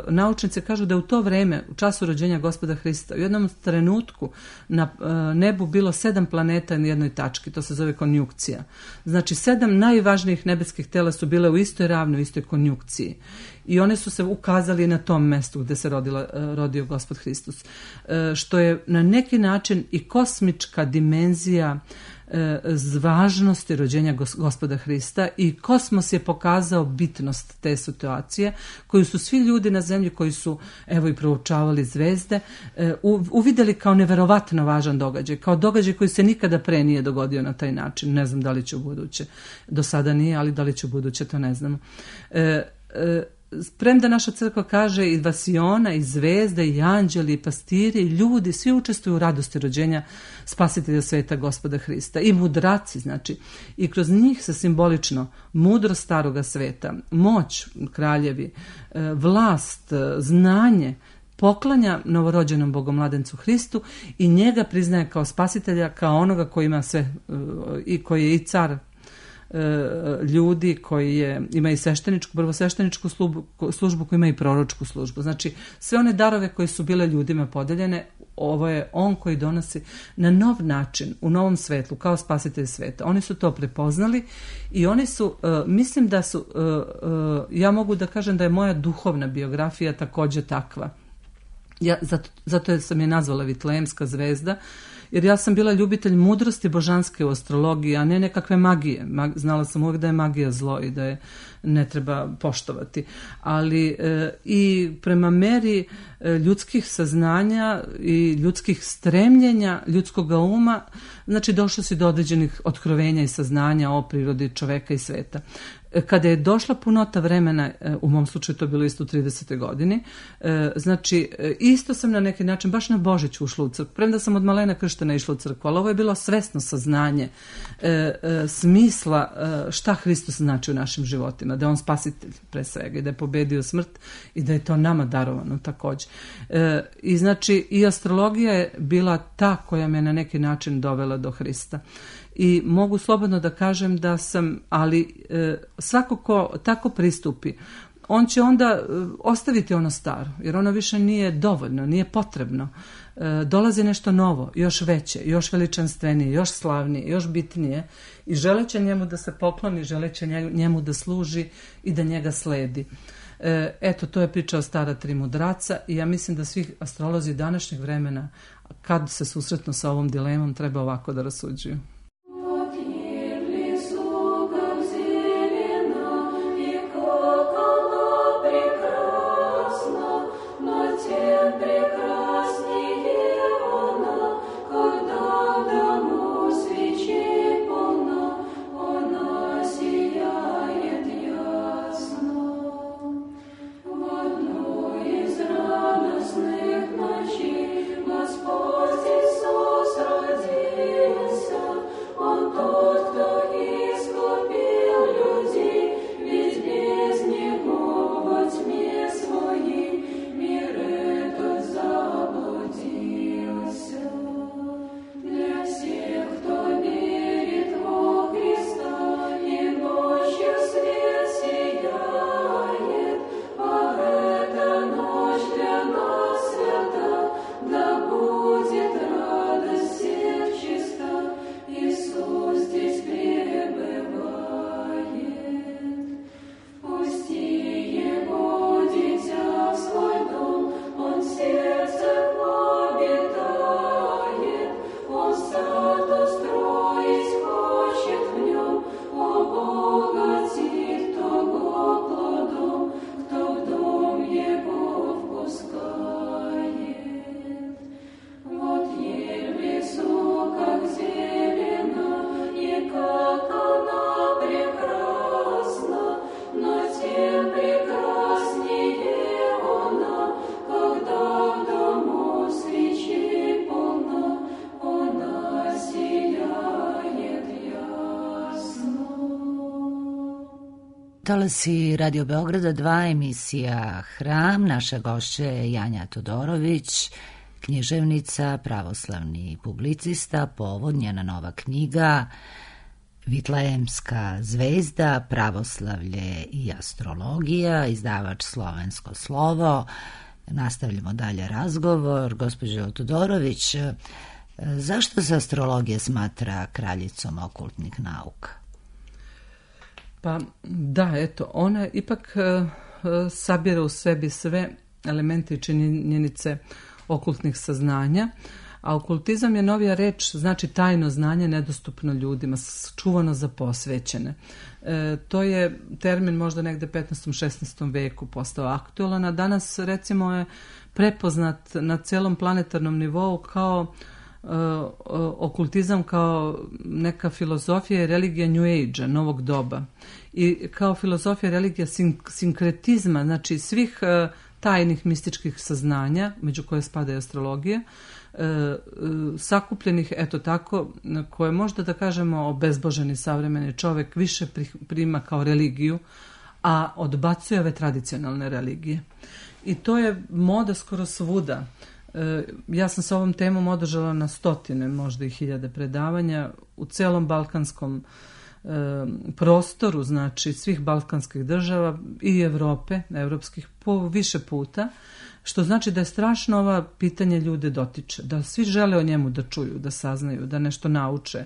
Speaker 4: naučnici kažu da u to vreme, u času rođenja Gospoda Hrista, u jednom trenutku na e, nebu bilo sedam planeta na jednoj tački, to se zove konjunkcija. Znači, sedam najvažnijih nebeskih tela su bile u istoj ravni, u istoj konjunkciji. I one su se ukazali na tom mestu gdje se rodila, rodio Gospod Hristos. E, što je na neki način i kosmička dimenzija e, važnosti rođenja Gospoda Hrista, i kosmos je pokazao bitnost te situacije koju su svi ljudi na zemlji koji su evo i proučavali zvezde e, uvidjeli kao neverovatno važan događaj, kao događaj koji se nikada pre nije dogodio na taj način. Ne znam da li će u buduće. Do sada nije, ali da li će u buduće, to ne znamo. E, e, Premda naša crkva kaže i vasiona, i zvezde, i anđeli, i pastiri, i ljudi, svi učestvuju u radosti rođenja spasitelja sveta Gospoda Hrista. I mudraci, znači, i kroz njih se simbolično mudrost staroga sveta, moć kraljevi, vlast, znanje poklanja novorođenom Bogomladencu Hristu i njega priznaje kao spasitelja, kao onoga koji ima sve, i koji je i car ljudi, koji je, ima i svešteničku, prvosvešteničku službu, službu koji ima i proročku službu. Znači, sve one darove koje su bile ljudima podeljene, ovo je on koji donosi na nov način, u novom svetlu, kao spasitelj sveta. Oni su to prepoznali i oni su, uh, mislim da su, uh, uh, ja mogu da kažem da je moja duhovna biografija također takva. Ja, zato, zato sam je nazvala Vitlejemska zvezda, jer ja sam bila ljubitelj mudrosti božanske u astrologiji, a ne nekakve magije. Znala sam uvijek da je magija zlo i da je ne treba poštovati. Ali e, i prema meri e, ljudskih saznanja i ljudskih stremljenja, ljudskog uma, znači došlo si do određenih otkrovenja i saznanja o prirodi čoveka i sveta. Kada je došla punota vremena, u mom slučaju to bilo isto u tridesetoj godini, znači isto sam na neki način, baš na Božić ušla u crkvu, premda sam od malena krštena išla u crkvu, ali ovo je bilo svesno saznanje smisla šta Hristos znači u našim životima, da je on spasitelj pre svega i da je pobedio smrt i da je to nama darovano također. I znači i astrologija je bila ta koja me na neki način dovela do Hrista. I mogu slobodno da kažem da sam, ali e, svako ko tako pristupi, on će onda e, ostaviti ono staro, jer ono više nije dovoljno, nije potrebno. E, dolazi nešto novo, još veće, još veličanstvenije, još slavnije, još bitnije i želeće njemu da se pokloni, želeće njemu da služi i da njega sledi. E, eto, to je priča o stara tri mudraca i ja mislim da svi astrolozi današnjeg vremena, kad se susretnu sa ovom dilemom, treba ovako da rasuđuju.
Speaker 2: Talasi Radio Beograda dva, emisija Hram. Naša gošća je Janja Todorović, književnica, pravoslavni publicista, povod njena nova knjiga Vitlejemska zvezda, pravoslavlje i astrologija, izdavač Slovensko slovo. Nastavljamo dalje razgovor. Gospođo Todorović, zašto se astrologija smatra kraljicom okultnih nauka?
Speaker 4: Pa da, eto, ona ipak uh, sabira u sebi sve elemente i činjenice okultnih saznanja, a okultizam je novija reč, znači tajno znanje nedostupno ljudima, čuvano za posvećene. E, to je termin možda negde petnaestom šesnaestom veku postao aktualan, a danas recimo je prepoznat na celom planetarnom nivou kao Uh, okultizam kao neka filozofija i religija New Age-a, novog doba. I kao filozofija i religija sink- sinkretizma, znači svih uh, tajnih mističkih saznanja, među koje spada i astrologija, uh, uh, sakupljenih, eto tako, koje možda da kažemo obezboženi savremeni čovek više prima kao religiju, a odbacuje ove tradicionalne religije. I to je moda skoro svuda. Ja sam sa ovom temom održala na stotine, možda i hiljade predavanja u celom balkanskom e, prostoru, znači svih balkanskih država i Evrope, evropskih, po više puta, što znači da je strašno ova pitanje ljude dotiče, da svi žele o njemu da čuju, da saznaju, da nešto nauče.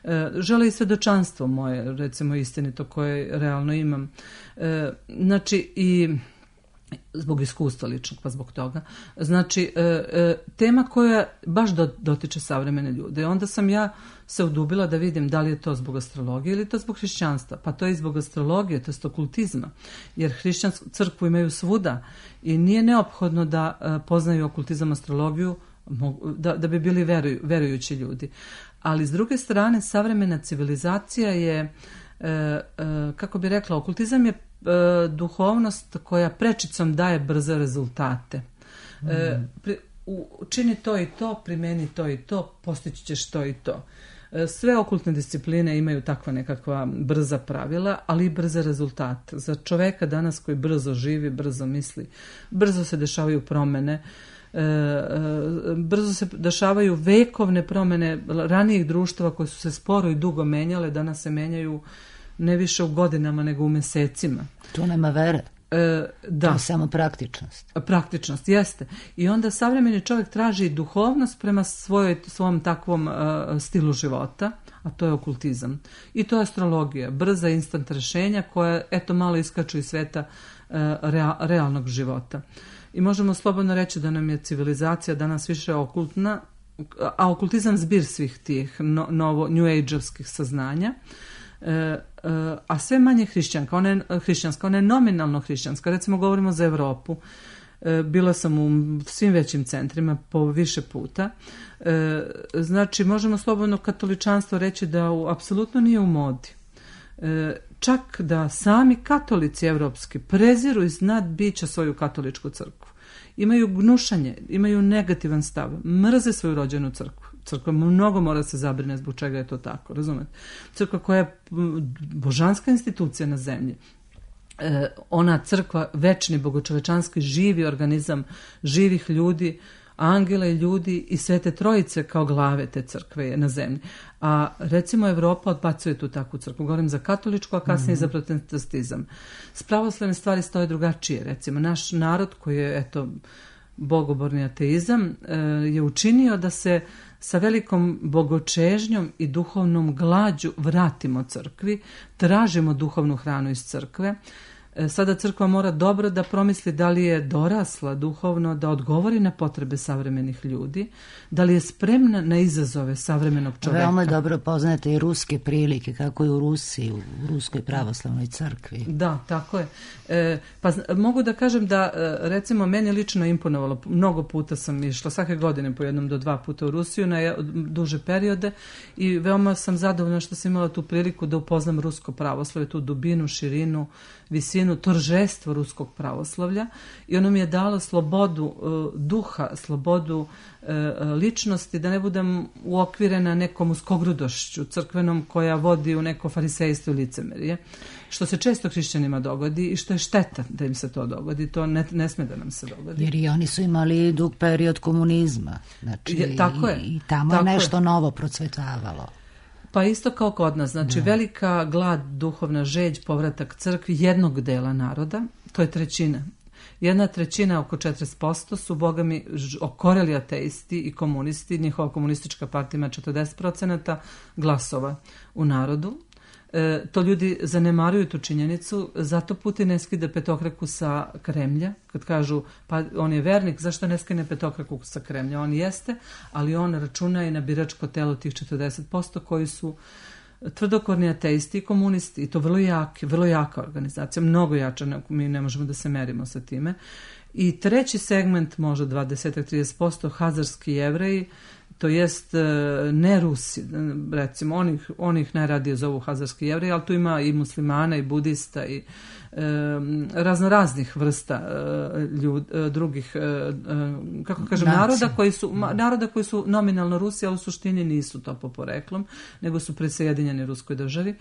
Speaker 4: E, žele i svedočanstvo moje, recimo istinito, koje realno imam. E, znači i zbog iskustva ličnog, pa zbog toga. Znači, e, e, tema koja baš do, dotiče savremene ljude. Onda sam ja se udubila da vidim da li je to zbog astrologije ili je to zbog hrišćanstva. Pa to je i zbog astrologije, to je okultizma. Jer hrišćansku crkvu imaju svuda i nije neophodno da e, poznaju okultizam, astrologiju, da, da bi bili veruju, verujući ljudi. Ali s druge strane, savremena civilizacija je, e, e, kako bi rekla, okultizam je duhovnost koja prečicom daje brze rezultate. Mm. E, pri, u, čini to i to, primeni to i to, postići ćeš to i to. E, sve okultne discipline imaju takva nekakva brza pravila, ali i brze rezultate. Za čoveka danas koji brzo živi, brzo misli, brzo se dešavaju promene, e, e, brzo se dešavaju vekovne promene ranijih društava koje su se sporo i dugo menjale, danas se menjaju ne više u godinama nego u mesecima.
Speaker 2: Tu nema vere.
Speaker 4: E, da.
Speaker 2: To je samo praktičnost.
Speaker 4: Praktičnost, jeste. I onda savremeni čovjek traži duhovnost prema svojoj, svom takvom uh, stilu života, a to je okultizam. I to je astrologija, brza instant rešenja koja, eto, malo iskaču iz sveta uh, rea, realnog života. I možemo slobodno reći da nam je civilizacija danas više okultna, a okultizam zbir svih tih no, novo, new age-ovskih saznanja. E, e, a sve manje hrišćanka, ona je hrišćanska, ona je nominalno hrišćanska. Recimo govorimo za Evropu, e, bila sam u svim većim centrima po više puta. E, znači možemo slobodno katoličanstvo reći da u, apsolutno nije u modi. E, čak da sami katolici evropski preziru iznad bića svoju katoličku crkvu. Imaju gnušanje, imaju negativan stav, mrze svoju rođenu crkvu. Crkva mnogo mora se zabrine zbog čega je to tako, razumete? Crkva koja je božanska institucija na zemlji. E, ona crkva, večni, bogočovečanski, živi organizam živih ljudi, angela i ljudi i Svete Trojice kao glave te crkve je na zemlji. A recimo Evropa odbacuje tu takvu crkvu. Govorim za katoličku, a kasnije mm-hmm. za protestantizam. S pravoslavne stvari stoje drugačije. Recimo naš narod koji je, eto, bogoborni ateizam, je učinio da se sa velikom bogočežnjom i duhovnom glađu vratimo crkvi, tražimo duhovnu hranu iz crkve. Sada crkva mora dobro da promisli da li je dorasla duhovno, da odgovori na potrebe savremenih ljudi, da li je spremna na izazove savremenog čoveka.
Speaker 2: Veoma dobro poznate i ruske prilike, kako je u Rusiji, u Ruskoj pravoslavnoj crkvi.
Speaker 4: Da, tako je. E, pa mogu da kažem da, recimo, meni lično imponovalo, mnogo puta sam išla, svake godine po jednom do dva puta u Rusiju na duže periode i veoma sam zadovoljna što sam imala tu priliku da upoznam rusko pravoslavlje, tu dubinu, širinu, visinu, toržestvo ruskog pravoslavlja i ono mi je dalo slobodu uh, duha, slobodu uh, ličnosti, da ne budem uokvirena nekom uskogrudošću crkvenom koja vodi u neko farisejstvo i licemerje, što se često hrišćanima dogodi i što je šteta da im se to dogodi, to ne, ne sme da nam se dogodi.
Speaker 2: Jer i oni su imali dug period komunizma, znači je, tako je, i, i tamo tako je nešto je. Novo procvetavalo.
Speaker 4: Pa isto kao kod nas, znači da. Velika glad, duhovna žeđ, povratak crkvi jednog dela naroda, to je trećina. Jedna trećina, oko četrdeset posto, su bogami okoreli ateisti i komunisti, njihova komunistička partija ima četrdeset procenata glasova u narodu. E, to ljudi zanemaruju tu činjenicu, zato Putin ne skide petokraku sa Kremlja, kad kažu pa on je vernik, zašto ne skine petokraku sa Kremlja? On jeste, ali on računa i na biračko telo tih četrdeset posto koji su tvrdokorni ateisti i komunisti, i to vrlo jaki, vrlo jaka organizacija, mnogo jača, mi ne možemo da se merimo sa time. I treći segment, možda dvadeset do trideset posto, hazarski Jevreji, to jest ne Rusi, recimo, onih, onih najradije zovu hazarski Jevreji, ali tu ima i muslimana i budista i e, raznoraznih vrsta e, ljud, e, drugih, e, kako kažem, Naci. naroda koji su naroda koji su nominalno Rusi, ali u suštini nisu to po poreklom, nego su prisjedinjeni Ruskoj državi. E,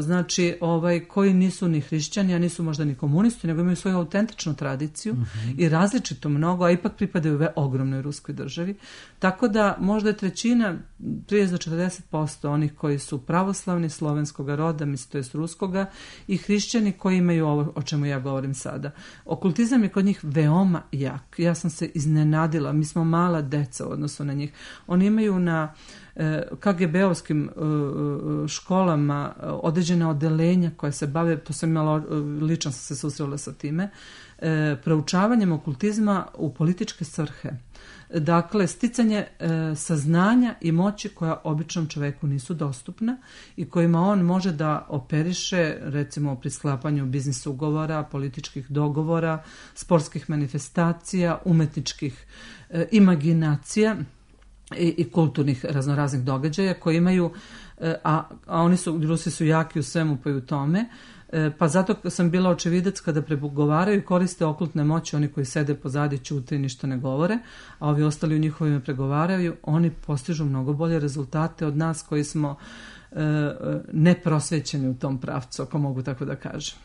Speaker 4: znači, ovaj, koji nisu ni hrišćani, a nisu možda ni komunisti, nego imaju svoju autentičnu tradiciju mm-hmm. i različito mnogo, a ipak pripadaju ve ogromnoj Ruskoj državi. Tako da možda je trećina, trideset do četrdeset posto onih koji su pravoslavni, slovenskog roda, mislim, to jest ruskoga, i hrišćani koji imaju ovo o čemu ja govorim sada. Okultizam je kod njih veoma jak. Ja sam se iznenadila, mi smo mala deca u odnosu na njih. Oni imaju na ka ge be-ovskim školama određena odeljenja koja se bave, to sam imala, lično sam se susrela sa time, proučavanjem okultizma u političke svrhe. Dakle, sticanje e, saznanja i moći koja običnom čoveku nisu dostupna i kojima on može da operiše, recimo pri sklapanju biznis ugovora, političkih dogovora, sportskih manifestacija, umetničkih e, imaginacija i, i kulturnih raznoraznih događaja koji imaju, e, a, a oni su, Rusi su jaki u svemu pa i u tome, pa zato sam bila očevidac kada pregovaraju i koriste okultne moći, oni koji sede pozadi, ćute i ništa ne govore, a ovi ostali u njihovime pregovaraju, oni postižu mnogo bolje rezultate od nas koji smo e, neprosvećeni u tom pravcu, ako mogu tako da kažem.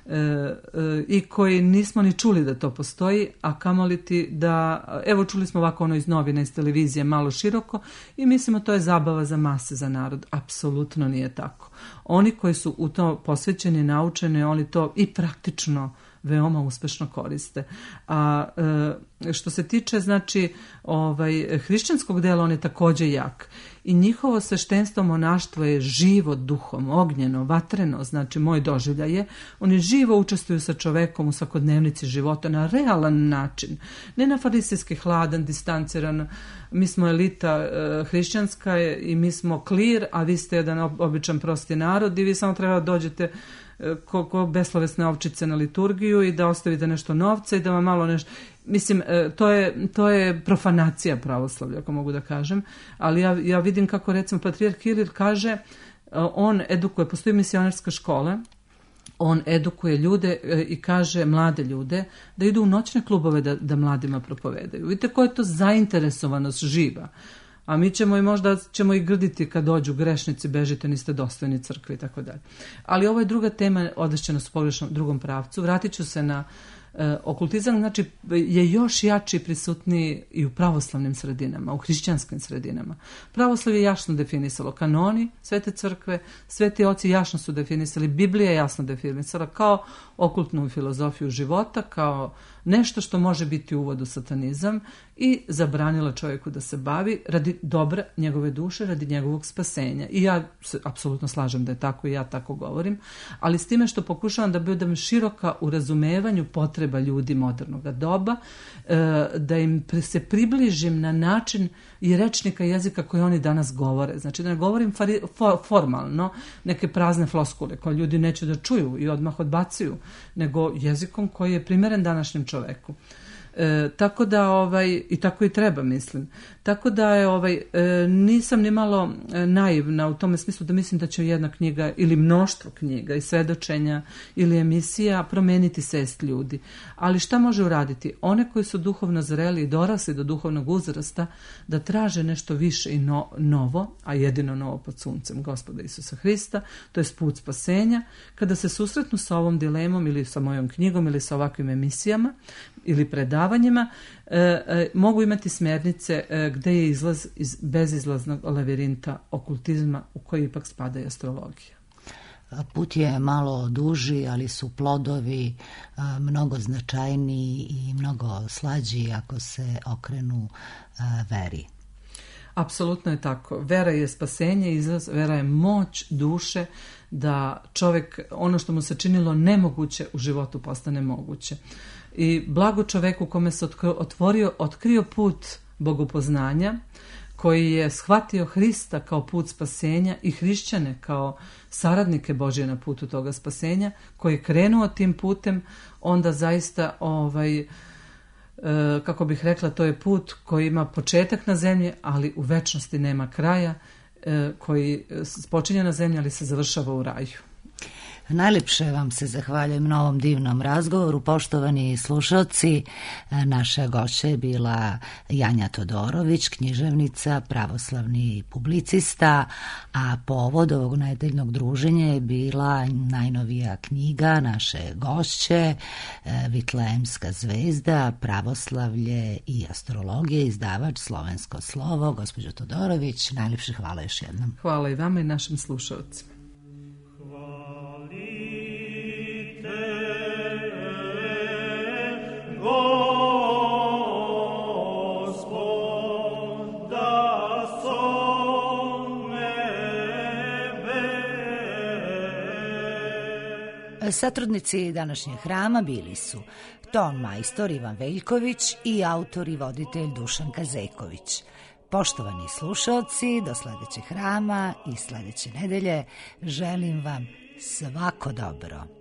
Speaker 4: E, e, i koji nismo ni čuli da to postoji, a kamoli ti da, evo čuli smo ovako ono iz novina, iz televizije malo široko i mislimo to je zabava za mase, za narod. Apsolutno nije tako. Oni koji su u to posvećeni, naučeni, oni to i praktično veoma uspešno koriste. A e, što se tiče, znači, ovaj, hrišćanskog dela, on je takođe jak. I njihovo sveštenstvo, monaštvo je živo duhom, ognjeno, vatreno, znači moj doživljaj je. Oni živo učestvuju sa čovekom u svakodnevnici života na realan način. Ne na farisejski, hladan, distanciran, mi smo elita e, hrišćanska i mi smo klir, a vi ste jedan običan prosti narod i vi samo treba da dođete ko, ko beslovesne ovčice na liturgiju i da ostavite nešto novca i da vam malo nešto... Mislim, to je, to je profanacija pravoslavlja, ako mogu da kažem, ali ja, ja vidim kako, recimo, patrijarh Kiril kaže, on edukuje, postoji misionarska škola, on edukuje ljude i kaže mlade ljude da idu u noćne klubove da, da mladima propovedaju. Vidite koja je to zainteresovanost živa. A mi ćemo i možda ćemo i grditi kad dođu grešnici, bežite, niste dostojni crkve i tako dalje. Ali ovo je druga tema, odvešćena s pogrešnom drugom pravcu. Vratit ću se na e, okultizam, znači je još jači prisutniji i u pravoslavnim sredinama, u hrišćanskim sredinama. Pravoslav je jasno definisalo kanoni Svete crkve, sveti oci jasno su definisali, Biblija je jasno definisala kao okultnu filozofiju života, kao nešto što može biti uvod u satanizam i zabranila čovjeku da se bavi radi dobra njegove duše, radi njegovog spasenja. I ja se apsolutno slažem da je tako i ja tako govorim, ali s time što pokušavam da budem široka u razumevanju potreba ljudi modernog doba, da im se približim na način i rečnika jezika koji oni danas govore. Znači da ne govorim fari, for, formalno neke prazne floskule koje ljudi neće da čuju i odmah odbacuju, nego jezikom koji je primeren današnjem čoveku. E, tako da ovaj i tako i treba, mislim. Tako da je ovaj e, nisam ni malo naivna u tome smislu da mislim da će jedna knjiga ili mnoštvo knjiga i svedočenja ili emisija promeniti svest ljudi. Ali šta može uraditi? One koji su duhovno zreli i dorasli do duhovnog uzrasta da traže nešto više i no, novo, a jedino novo pod suncem Gospoda Isusa Hrista, to je put spasenja, kada se susretnu sa ovom dilemom ili sa mojom knjigom ili sa ovakvim emisijama ili predavanjima, e, e, mogu imati smernice e, gde je izlaz iz bezizlaznog lavirinta okultizma u koji ipak spada i astrologija.
Speaker 2: Put je malo duži, ali su plodovi a, mnogo značajniji i mnogo slađi ako se okrenu a, veri.
Speaker 4: Apsolutno je tako. Vera je spasenje, izraz, vera je moć duše da čovjek, ono što mu se činilo nemoguće u životu postane moguće. I blago čoveku kome se otvorio, otkrio put bogopoznanja, koji je shvatio Hrista kao put spasenja i hrišćane kao saradnike Božje na putu toga spasenja, koji je krenuo tim putem, onda zaista, ovaj, e, kako bih rekla, to je put koji ima početak na zemlji, ali u večnosti nema kraja, e, koji počinje na zemlji, ali se završava u raju.
Speaker 2: Najlepše vam se zahvaljujem na ovom divnom razgovoru, poštovani slušalci. Naša gošća je bila Janja Todorović, književnica, pravoslavni publicista, a povod ovog nedeljnog druženja je bila najnovija knjiga naše gošće, Vitlejemska zvezda, pravoslavlje i astrologija, izdavač Slovensko slovo. Gospođo Todorović, najlepše hvala još jednom.
Speaker 4: Hvala i vama i našim slušalcima.
Speaker 5: Gospod da so
Speaker 2: Satrudnici današnjeg hrama bili su ton majstor Ivan Veljković i autor i voditelj Dušan Kazeković. Poštovani slušaoci, do sledećeg hrama i sledeće nedelje želim vam svako dobro.